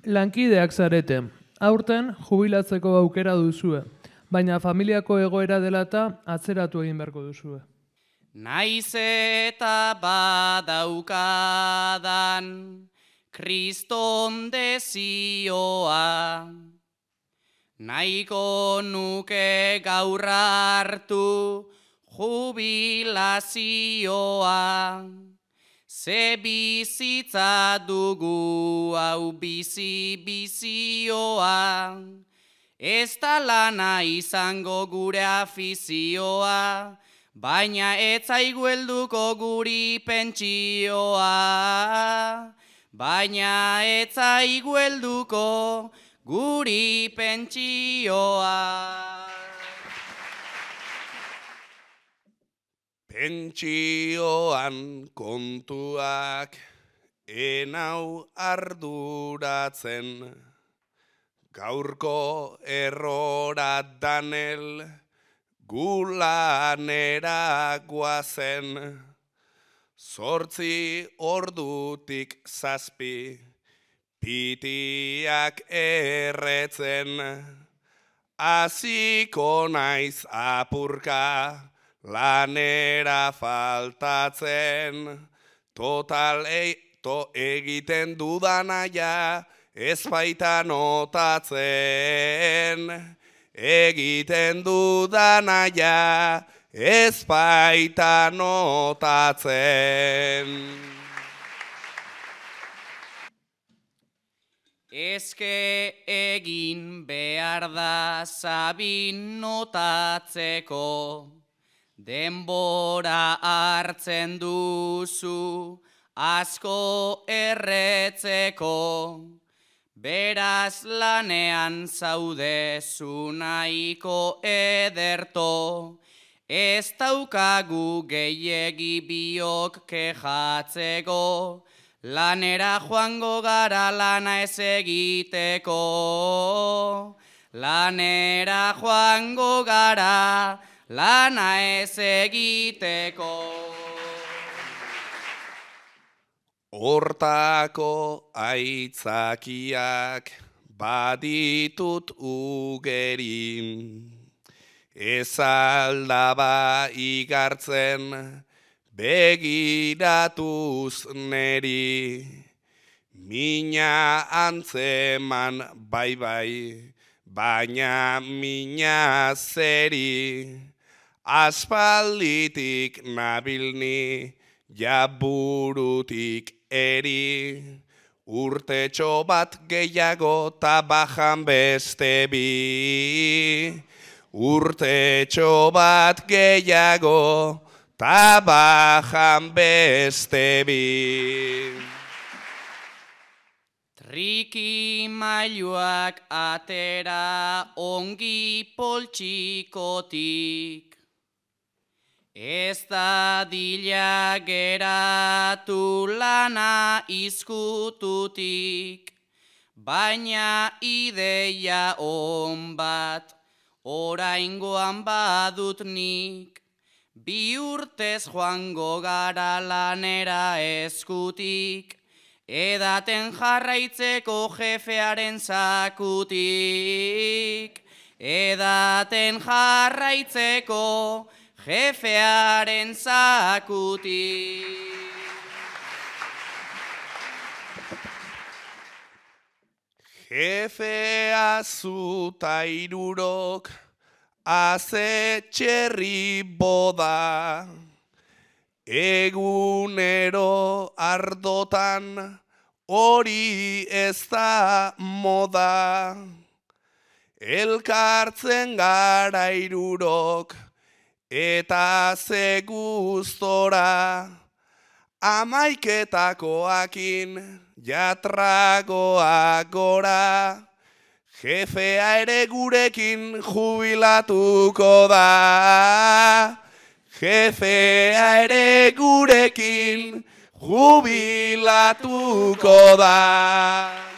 Lankideak zarete, aurten jubilatzeko aukera duzue, baina familiako egoera dela eta atzeratu egin beharko duzue. Naiz eta badaukadan kriston dezioa, nahiko nuke gaur hartu jubilazioa. Ze bizitza dugu hau bizioa, ez da lana izango gure afizioa, baina ez zaigu helduko guri pentsioa. Baina ez zaigu helduko guri pentsioa. Pentsioan kontuak enau arduratzen, gaurko errora danel gulanera guazen, 8 ordutik 7 pitiak erretzen, hasiko naiz apurka lanera faltatzen, total egiten dudana ja ez baita notatzen. Egiten dudana ja ez baita notatzen. Eske egin behar da Sabin notatzeko, denbora hartzen duzu asko erretzeko, beraz lanean zaudezu nahiko ederto, ez daukagu gehiegi biok kejatzeko, lanera joango gara lana ez egiteko. Lanera joango gara lana ez egiteko. Hortako aitzakiak baditut ugeri, ez aldaba igartzen begiratuz neri, mina antzeman bai, baina mina zeri, aspalditik nabilni jaburutik eri, urtetxo bat gehiago ta bajan beste bi, urtetxo bat gehiago ta bajan beste bi. Trikimailuak atera ongi poltsikotik, ez dadila geratu lana izkututik, baina ideia on bat oraingoan badut nik, 2 urtez joango gara lanera eskutik, edaten jarraitzeko jefearen zakutik, edaten jarraitzeko jefearen zakutik. Jefea zuta 3 haze txerri boda, egunero ardotan hori ez da moda, elkartzen gara 3 eta ze gustora, amaiketakoakin jatragoak gora, jefea ere gurekin jubilatuko da. Jefea ere gurekin jubilatuko da.